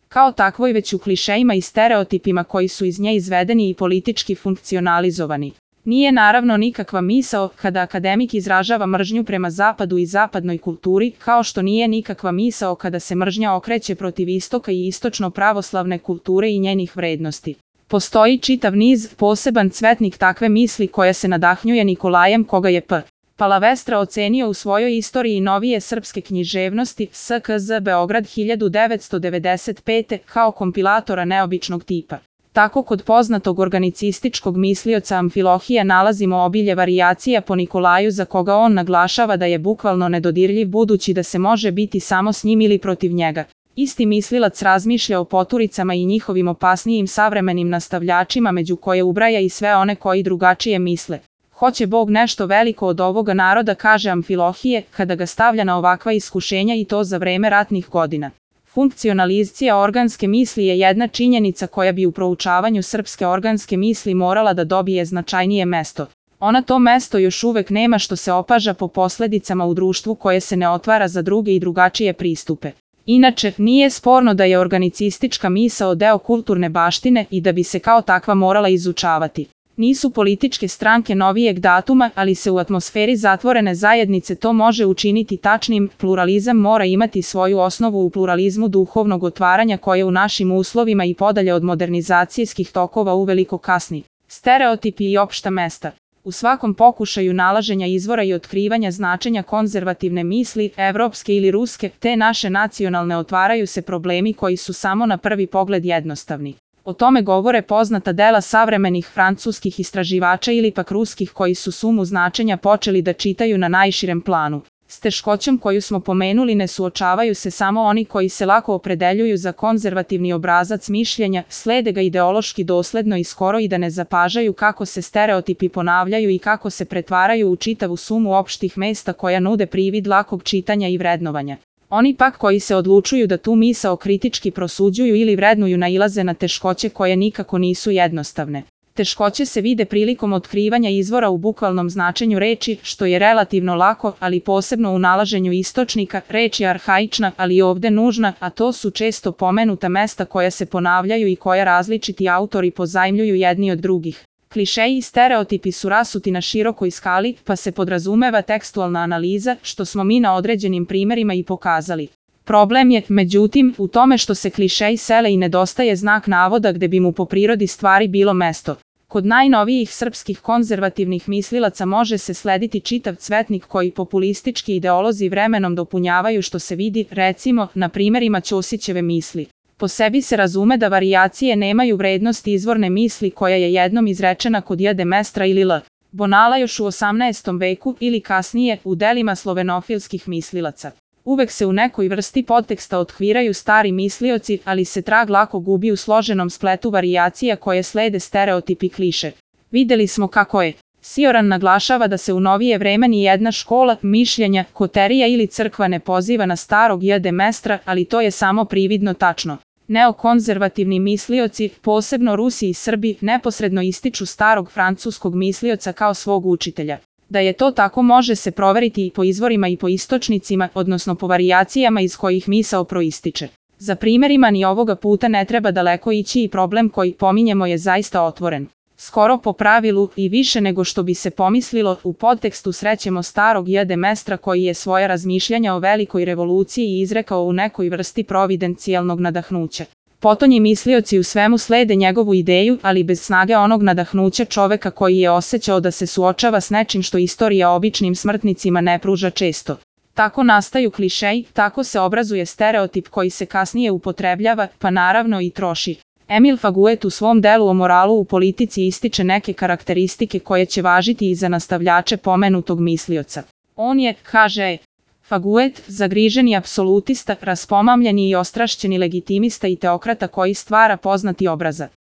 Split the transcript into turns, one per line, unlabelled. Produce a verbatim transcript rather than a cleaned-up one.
kao takvoj već u klišejima i stereotipima koji su iz nje izvedeni i politički funkcionalizovani. Nije naravno nikakva misao kada akademik izražava mržnju prema zapadu i zapadnoj kulturi, kao što nije nikakva misao kada se mržnja okreće protiv istoka i istočno-pravoslavne kulture i njenih vrednosti. Postoji čitav niz, poseban cvetnik takve misli koja se nadahnjuje Nikolajem koga je P. Palavestra ocenio u svojoj istoriji novije srpske književnosti S K Z Beograd hiljadu devetsto devedeset pete kao kompilatora neobičnog tipa. Tako kod poznatog organicističkog mislioca Amfilohija nalazimo obilje varijacija po Nikolaju za koga on naglašava da je bukvalno nedodirljiv budući da se može biti samo s njim ili protiv njega. Isti mislilac razmišlja o poturicama i njihovim opasnijim savremenim nastavljačima među koje ubraja i sve one koji drugačije misle. Hoće Bog nešto veliko od ovoga naroda, kaže Amfilohije, kada ga stavlja na ovakva iskušenja i to za vreme ratnih godina. Funkcionalizacija organske misli je jedna činjenica koja bi u proučavanju srpske organske misli morala da dobije značajnije mesto. Ona to mesto još uvek nema što se opaža po posledicama u društvu koje se ne otvara za druge i drugačije pristupe. Inače, nije sporno da je organicistička misao deo kulturne baštine i da bi se kao takva morala izučavati. Nisu političke stranke novijeg datuma, ali se u atmosferi zatvorene zajednice to može učiniti tačnim. Pluralizam mora imati svoju osnovu u pluralizmu duhovnog otvaranja koje u našim uslovima i podalje od modernizacijskih tokova uveliko kasni. Stereotipi i opšta mesta. U svakom pokušaju nalaženja izvora i otkrivanja značenja konzervativne misli, evropske ili ruske, te naše nacionalne otvaraju se problemi koji su samo na prvi pogled jednostavni. O tome govore poznata dela savremenih francuskih istraživača ili pak ruskih koji su sumu značenja počeli da čitaju na najširem planu. S teškoćom koju smo pomenuli ne suočavaju se samo oni koji se lako opredeljuju za konzervativni obrazac mišljenja, slede ga ideološki dosledno i skoro i da ne zapažaju kako se stereotipi ponavljaju i kako se pretvaraju u čitavu sumu opštih mesta koja nude privid lakog čitanja i vrednovanja. Oni pak koji se odlučuju da tu misao kritički prosuđuju ili vrednuju nailaze na teškoće koje nikako nisu jednostavne. Teškoće se vide prilikom otkrivanja izvora u bukvalnom značenju reči, što je relativno lako, ali posebno u nalaženju istočnika. Reč je arhaična, ali ovde nužna, a to su često pomenuta mesta koja se ponavljaju i koja različiti autori pozajmljuju jedni od drugih. Klišeji i stereotipi su rasuti na širokoj skali, pa se podrazumeva tekstualna analiza, što smo mi na određenim primerima i pokazali. Problem je, međutim, u tome što se klišeji sele i nedostaje znak navoda gde bi mu po prirodi stvari bilo mesto. Kod najnovijih srpskih konzervativnih mislilaca može se slediti čitav cvetnik koji populistički ideolozi vremenom dopunjavaju što se vidi, recimo, na primerima Ćosićeve misli. Po sebi se razume da varijacije nemaju vrednost izvorne misli koja je jednom izrečena kod J. Demestra ili L. Bonala još u osamnaestom veku ili kasnije u delima slovenofilskih mislilaca. Uvek se u nekoj vrsti podteksta otkviraju stari mislioci, ali se trag lako gubi u složenom spletu varijacija koje slede stereotipi kliše. Videli smo kako je. Sioran naglašava da se u novije vreme ni jedna škola, mišljenja, koterija ili crkva ne poziva na starog J. Demestra, ali to je samo prividno tačno. Neokonzervativni mislioci, posebno Rusi i Srbi, neposredno ističu starog francuskog mislioca kao svog učitelja. Da je to tako može se proveriti i po izvorima i po istočnicima, odnosno po varijacijama iz kojih misao proističe. Za primerima ni ovoga puta ne treba daleko ići i problem koji pominjemo je zaista otvoren. Skoro po pravilu i više nego što bi se pomislilo, u podtekstu srećemo starog J. Demestra koji je svoja razmišljanja o velikoj revoluciji izrekao u nekoj vrsti providencijalnog nadahnuća. Potonji mislioci u svemu slede njegovu ideju, ali bez snage onog nadahnuća čoveka koji je osjećao da se suočava s nečim što istorija običnim smrtnicima ne pruža često. Tako nastaju klišeji, tako se obrazuje stereotip koji se kasnije upotrebljava, pa naravno i troši. Emil Faguet u svom delu o moralu u politici ističe neke karakteristike koje će važiti i za nastavljače pomenutog mislioca. On je, kaže Faguet, zagriženi apsolutista, raspomamljeni i ostrašćeni legitimista i teokrata koji stvara poznati obraza.